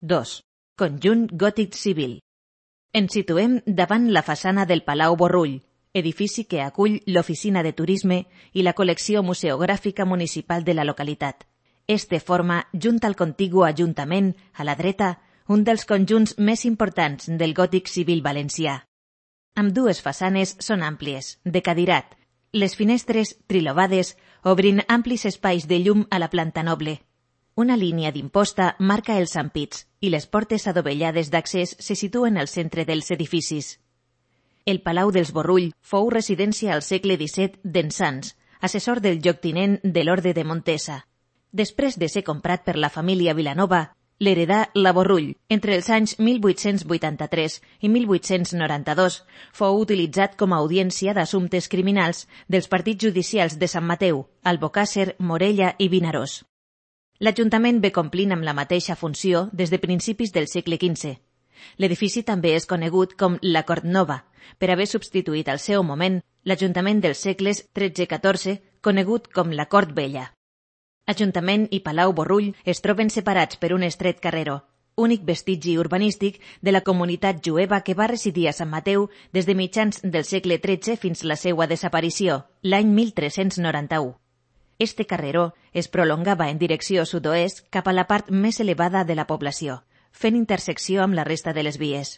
2. Conjunt gòtic civil. Ens situem davant la façana del Palau Borrull, edifici que acull l'oficina de turisme i la col·lecció museogràfica municipal de la localitat. Este forma, junt al contigu Ajuntament, a la dreta, un dels conjunts més importants del gòtic civil valencià. Ambdues façanes són àmplies, de cadirat, les finestres trilobades obrint amplis espais de llum a la planta noble. Una línia d'imposta marca els ampits i les portes adovellades d'accés se situen al centre dels edificis. El Palau dels Borrull fou residència al segle XVII d'en Sans, assessor del lloctinent de l'Orde de Montesa. Després de ser comprat per la família Vilanova, l'heredà la Borrull. Entre els anys 1883 i 1892 fou utilitzat com a audiència d'assumptes criminals dels partits judicials de Sant Mateu, Albocàsser, Morella i Vinaròs. L'Ajuntament ve complint amb la mateixa funció des de principis del segle XV. L'edifici també és conegut com la Cort Nova, per haver substituït al seu moment l'Ajuntament dels segles XIII-XIV, conegut com la Cort Vella. Ajuntament i Palau Borrull es troben separats per un estret carreró, únic vestigi urbanístic de la comunitat jueva que va residir a Sant Mateu des de mitjans del segle XIII fins la seva desaparició, l'any 1391. Este carreró es prolongava en direcció sud-oest cap a la part més elevada de la població, fent intersecció amb la resta de les vies.